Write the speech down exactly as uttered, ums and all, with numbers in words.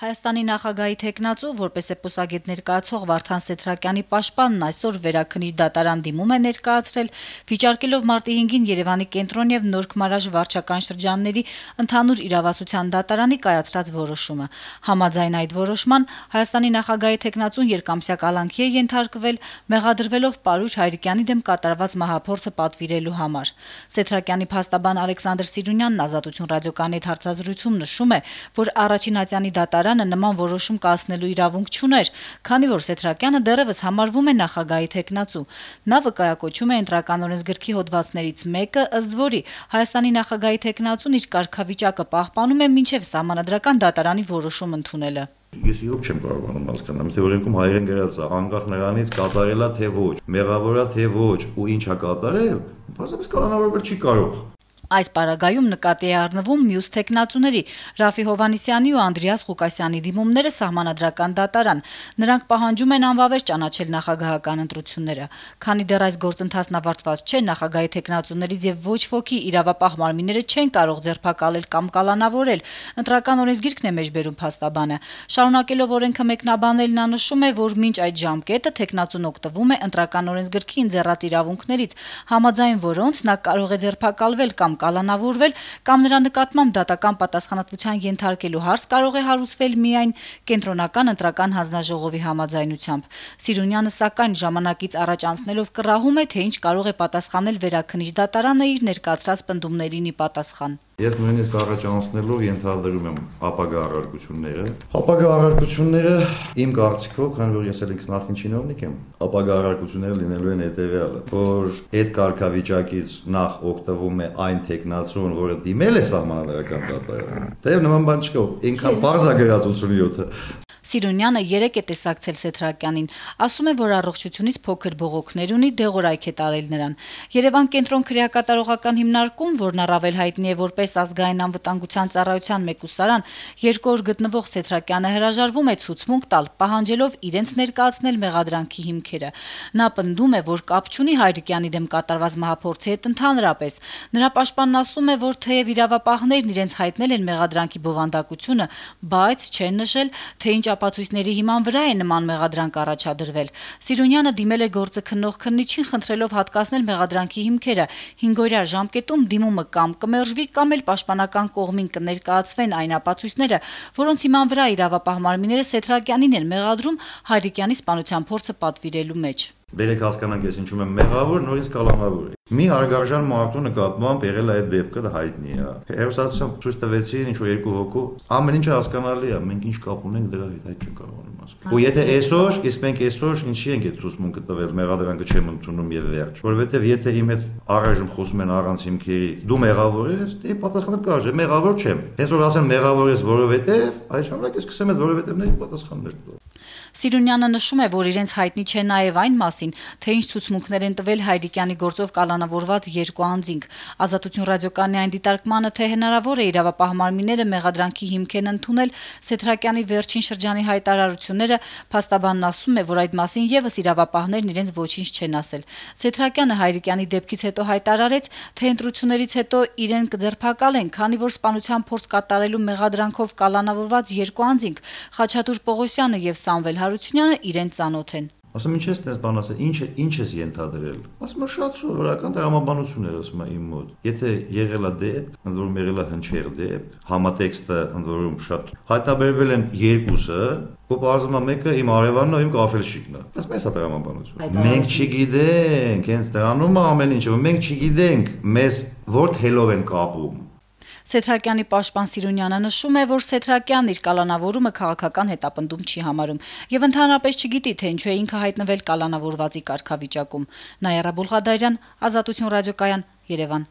Հայաստանի նախագահի թեկնածու, որպես էպոսագետ ներկայացող Վարդան Սեթրակյանի պաշտպանն այսօր Վերաքննիչ դատարան դիմում է ներկայացրել, վիճարկելով մարտի հինգին Երևանի կենտրոն եւ Նոր Քմարաժ վարչական շրջանների ընդհանուր իրավասության դատարանի կայացրած որոշումը։ Համաձայն այդ որոշման Հայաստանի նախագահի թեկնածուն երկամսյա կալանքի է ենթարկվել, մեղադրվելով Պարույր Հայրիկյանի դեմ կատարված մահափորձը պատվիրելու համար։ Սեթրակյանի փաստաբան Ալեքսանդր Սիրունյանն Ազատություն ռադիոկայանի հետ հարցազրույցում նշում է, որ առաջին ատյանի դատարանը նման որոշում կայացնելու իրավունք չուներ, քանի որ Սեթրակյանը դեռևս համարվում է նախագահի թեկնածու։ Նա վկայակոչում է Ընտրական օրենսգրքի հոդվածներից մեկը, ըստ որի Հայաստանի նախագահի թեկնածուն իր կարգավիճակը պահպանում է մինչև Սահմանադրական դատարանի որոշում ընդունելը։ Ես իրոք չեմ կարողանում հասկանալ, թե օրենքում հայերեն գրած է, անկախ նրանից կատարելա թե ոչ, մեղավորա թե ոչ ու ինչ է կատարել, բացապես կանոնավորվել չի կարող։ Այս պարագայում նկատի է առնվում մյուս թեկնածուների Ռաֆի Հովհաննիսյանի ու Անդրեաս Ղուկասյանի դիմումները Սահմանադրական դատարան։ Նրանք պահանջում են անվավեր ճանաչել նախագահական ընտրությունները։ Քանի դեռ այս գործընթացն ավարտված չէ, նախագահի թեկնածուներից եւ ոչ ոքի իրավապահ մարմինները չեն կարող ձերբակալել կամ կալանավորել։ Ընտրական օրենսգիրքն է մեջբերում փաստաբանը։ Շարունակելով օրենքը մեկնաբանել, նա նշում է, որ մինչ այդ ժամկետը թեկնածուն օգտվում է Ընտրական օրենսգրքի ընձեռած իրավունքներից, համաձայն որոնց նա կարող է ձերբակալվել կամ կալանավորվել կամ նրա նկատմամբ դատական պատասխանատվության ենթարկելու հարց կարող է հարուցվել միայն կենտրոնական ընտրական հանձնաժողովի համաձայնությամբ։ Սիրունյանը սակայն ժամանակից առաջ անցնելով կռահում է, թե ինչ կարող է պատասխանել Վերաքննիչ դատարանը իր ներկայացրած պնդումներին ի պատասխան։ Ես նույնիսկ առաջ անցնելով ենթադրում եմ ապագա առարկությունները։ Ապագա առարկությունները իմ կարծիքով, քանի որ ես էլ ինքս նախին չինովնիկ եմ, ապագա առարկությունները լինելու են հետևյալը, որ այդ կարգավիճակից նախ օգտվում է այն թեկնածուն, որը դիմել է Սահմանադրական դատարան։ Դե նման բան չկա, ինքան բարձ է գրած ութսունյոթը։ Սիրունյանը երեկ է տեսակցել Սեթրակյանին, ասում է, որ առողջությունից փոքր բողոքներ ունի, դեղորայք է տարել նրան։ Երևան կենտրոն քրեակատարողական հիմնարկում, որն առավել հայտնի է որպես ազգային անվտանգության ծառայության մեկուսարան, երկու օր գտնվող Սեթրակյանը հրաժարվում է ցուցմունք տալ, պահանջելով իրենց ներկայացնել մեղադրանքի հիմքերը։ Նա պնդում է, որ կապ չունի Հայրիկյանի դեմ կատարված մահափորձի հետ ընդհանրապես։ Նրա պաշտպանն ասում է, որ թեև իրավապահներն իրենց հայտնել են մեղադրանքի բովանդակությունը, բայց չեն նշել, թե ինչ ապացույցների հիման վրա է նման մեղադրանք առաջադրվել։ Սիրունյանը դիմել է գործը քննող քննիչին, խնդրելով հատկացնել մեղադրանքի հիմքերը։ հինգօրյա ժամկետում դիմումը կամ կմերժվի, կամ էլ պաշտպանական կողմին կներկայացվեն այն ապացույցները, որոնց հիման վրա իրավապահ մարմինները Սեթրակյանին են մեղադրում Հայրիկյանի սպանության փորձը պատվիրելու մեջ։ Բերեք հասկանանք, ես ինչու եմ մեղավոր, նորից կալանավոր է։ Մի հարգարժան մարդու նկատմամբ եղել է այդ դեպքը, դա հայտնի է։ Հերոսացիան ցույց տվեցին ինչ-որ երկու հոգու, ամեն ինչը հասկանալի է, մենք ինչ կապ ունենք դրա հետ, այդ չեն կարողանում ասել։ Ու եթե այսօր, իսկ մենք այսօր ինչի ենք այդ ցուցմունքը տվել, մեղադրանքը չեմ ընդունում եւ վերջ։ Որովհետեւ եթե իմ հետ առայժմ խոսում են առանց հիմքերի, դու մեղավոր ես, դե պատասխանել կարճ է, մեղավոր չեմ։ Հենց որ ասեն մեղավոր ես, որովհետեւ, այդ ժամանակ ես սկսեմ այդ որովհետեւների պատասխաններ տալ։ Սիրունյանը նշում է, որ իրենց հայտնի չէ նաև այն մասին, թե ինչ ցուցմունքներ են տվել Հայրիկյանի գործով կալանավորված երկու անձինք։ Ազատություն ռադիոկայանի այն դիտարկմանը, թե հնարավոր է իրավապահ մարմինները մեղադրանքի հիմք են ընդունել Սեթրակյանի վերջին շրջանի հայտարարությունները, փաստաբանն ասում է, որ այդ մասին եւս իրավապահներն իրենց ոչինչ չեն ասել։ Սեթրակյանը Հայրիկյանի դեպքից հետո հայտարարեց, թե ընտրություններից հետո իրեն կձերբակալեն, քանի որ սպանության փորձ կատարելու մեղադրանքով կալանավորված երկու անձինք Խաչատուր Պողոսյանը եւ Սամվել Հարությունյանը իրեն ծանոթ են։ Ասում ինչ ես տես բան ասել, ինչ է, ինչ ես ենթադրել։ Ասում է շատ սովորական տրամաբանություն էր, ասում է իմ մոտ։ Եթե եղել է դեպք, ընդ որում եղել է հնչեղ դեպք, համատեքստը ընդ որում շատ հայտնաբերվել են երկուսը, ու բարձրում է մեկը իմ արևանն ու իմ կաֆելշիկն է։ Ասում է սա տրամաբանություն։ Մենք չգիտենք, հենց դրանում է ամեն ինչը, մենք չգիտենք, մեզ որ թելով են կապում։ Սեթրակյանի պաշտպան Սիրունյանը նշում է, որ Սեթրակյանն իր կալանավորումը քաղաքական հետապնդում չի համարում եւ ընդհանրապես չգիտի, թե ինչու է ինքը հայտնվել կալանավորվածի կարգավիճակում։ Նայարա Բուլղադարյան, Ազատություն ռադիոկայան, Երևան։